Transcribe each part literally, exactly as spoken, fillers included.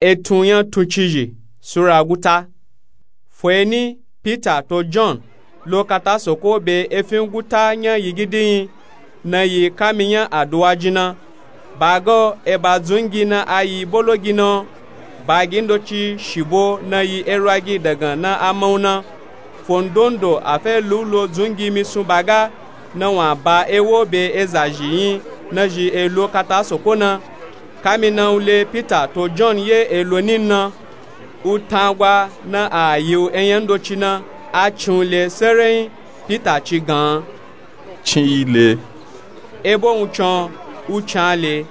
Etun nya tuncizhi sura guta. Fo eni, Pita to John lo kata soko be efin guta nya yigidi nyi, na yi kami nya aduwa jin na. Ba ga o, eba dzungi na a yi bologi na o, bagi ndoci shibo na yi erwagi dagan na a ma u na. Fo ndondo a fe lu lo dzungi misun ba ga, na wun a ba ewo be eza zhi nyi na zhi e lo kata soko na. Kami na u le Pita to John ye e lo nin na, u tangwa na a yi u enya ndoci na, a cin u le serenyi. Pita ci gan an, cin yi le. Ebo wuncin o, u cin a le.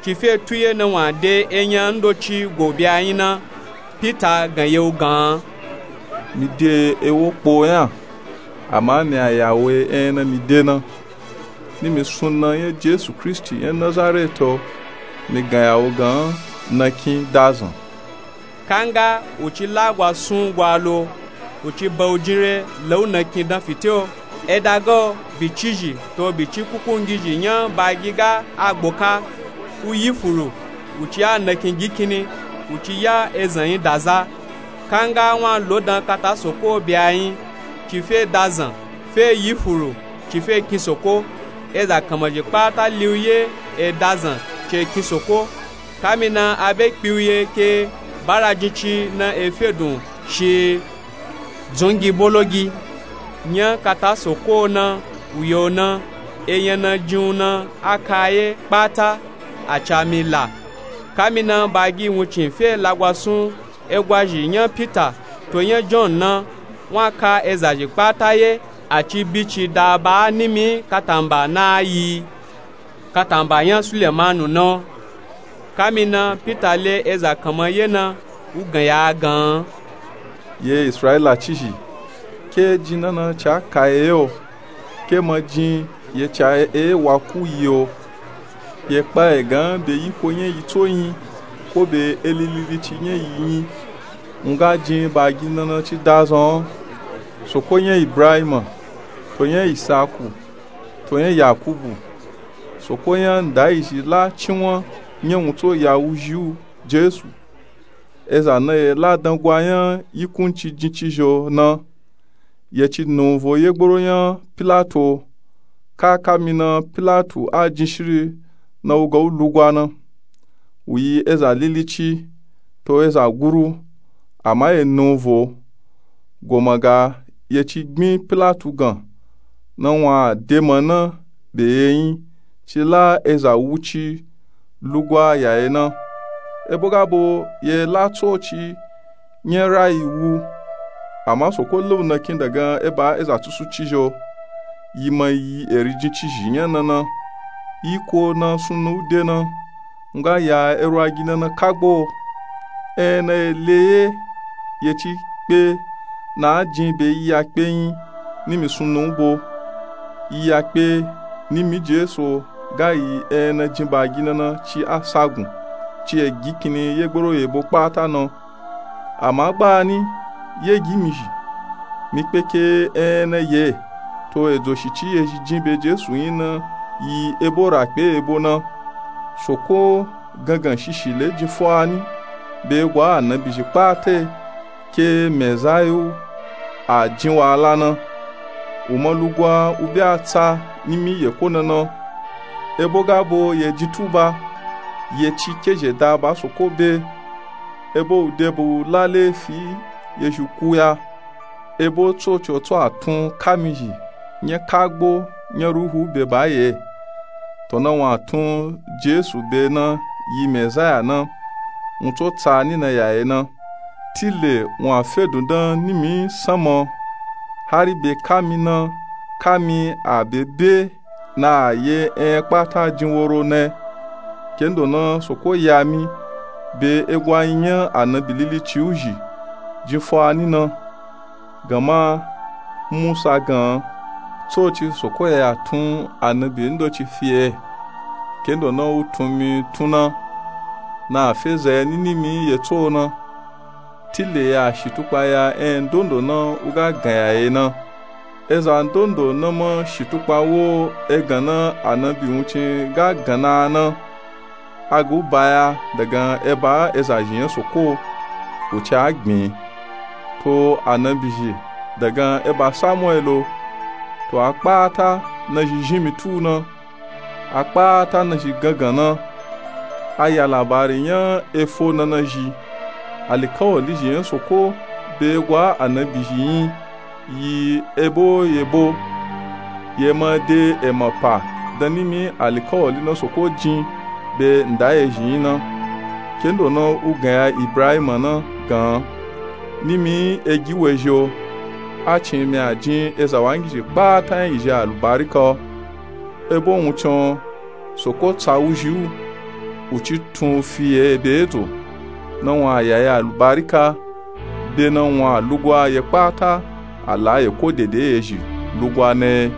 Ci fe tuye na wun a de enya ndoci go be a nyi na, Pita gan ye u gan an, mi de ewo kpo nya, ama mi a ya we enya na mi de na. Ni mi sun na nya Jesu Kristi nya Nazareti o, mi gan ya u gan an, nakin dazan. Kanga u ci lagwa sun gwa lo, u ci ba u jin re la u nakin dan fite o. Eda ga o, bicizhi to bici kukungizhi nya bagi ga a gboka, u yi furu, u ci ya nakin gikini, u ci ya ezan nyi daza. Kanga wun a lo dan kata soko be a nyi, ci fe dazan, fe yi furu, ci fe kin soko. Eza kanmazhi kpata li u ye e dazan, ci e kin soko. Kami na a be kpi u ye ke bara jin ci na e fedun shi dzungi bologi. Nya kata soko na, u ye u na, enya na jin u na a ka ye kpata, a ca mi la. Kami na bagi wuncin fe lagwa sun egwazhi nya Pita to nya John na, wun a ka ezazhi kpata ye, a ci bi ci da ba a nimi katamba na a yi katamba nya Sulemanu na o. Kami na Pita le eza kanman ye na, u gan ya a gan an, ye Israila cizhi, ke jin na na ca ka ye o, ke ma jin ye ca e wa ku yi o. Ye kpa e gan be yiko nya yi tso nyi, ko be elililici nya yi nyi, u nga jin bagi na na ci dazan o. Soko nya Ibrahima, to nya Isaku, to nya Yakubu, Soko nya ndaizhi la cinwan nya wuntso ya wuzhi u Jesu. Eza na ye la dangwa nya yikunci jincizhi o na, ye ci nunvo ye gboro nya Pilato. Ka kami na Pilatu a jin shiri na u ga u lugwa na. U yi eza lilici, to eza guru, ama ye nunvo. Goma ga ye ci gbin Pilatu gan, na wun a de ma na be ye nyi, ci la eza wuci lugwa ya ye na. Ebo ga bo ye la tsoci nya rayi wu, ama Soko la u nakin dagan eba eza tusucizhi o. Yi ma yi eri jincizhi nya na na. Yiko na sunna u de na, u nga ya erwagi na na kagbo. Ena ye le ye, ye ci kpe na a jin be yiyakpe nyi, nimi sunna u bo. Yiyakpe, nimi Jesu o, ga yi ena jin bagi na na ci a sagun, ci e gi kini ye gboro ye bo kpata na. Ama gbani, ye gi mi zhi, mi kpeke ena ye, to edzo shi ci ye zhi jin be Jesu nyi na, yi ebo ra kpe ebo na. Soko gangan shishi le jin fo ani, be gwa anabizhi kpata e, ke Mezaya u a jin wahala na. U ma lugwa u be a tsa nimi ye ko na na. Ebo ga bo ye jin tuba, ye ci kezhe da ba Soko be. Ebo u de bu la lefi ye zhi ku ya. Ebo tsoci o tso a tun kami zhi nya kagbo nya Ruhu be ba ye. To na wun a tun Jesu be na yi Mezaya na, wun tso tsa ni na ya ye na. Tile wun a fe dundan nimi sanma o, hari be kami na, kami a be be na a ye enya kpata jin woro na. Kendo na Soko ya mi, be egwa nyi nya anabi lilici u zhi, jin fo ani na. Gama Musa gan, tsoci Soko ya tun anabi ndoci fi ye. Kendo na u tun mi tun na, na a fe za ya ni nimi ye tso na. Tile ya shitukpa ya enya ndondo na u ga gan ya ye na. Eza ndondo na ma shitukpa wo egan na anabi wuncin ga gan na na. a gu baya dagan eba ezazhi nya soko. Uci a gbin to anabizhi dagan eba samuelo. To a kpata nazhi zhinmi tu na, a kpata nazhi gangan na. A ya labari nya efo nanazhi. Alikawali zhi nya soko be gwa anabizhi nyi yi ebo yebo. Ye ma de ema pa dan nimi alikawali na soko jin be nda ye zhi nyi na, kendo na u gan ya ibrahima na gan. Nimi egi wezhi o. A cin mi a jin ezawangizhi kpata nya izhi alubarika o. Ebo wuncin o soko tsa wuzhi u. Uci tun u fi ye ebe edzo na wun a ya ye alubarika. Be na wun a lugwa ye kpata. A la ye ko dede ye zhi lugwa na ye.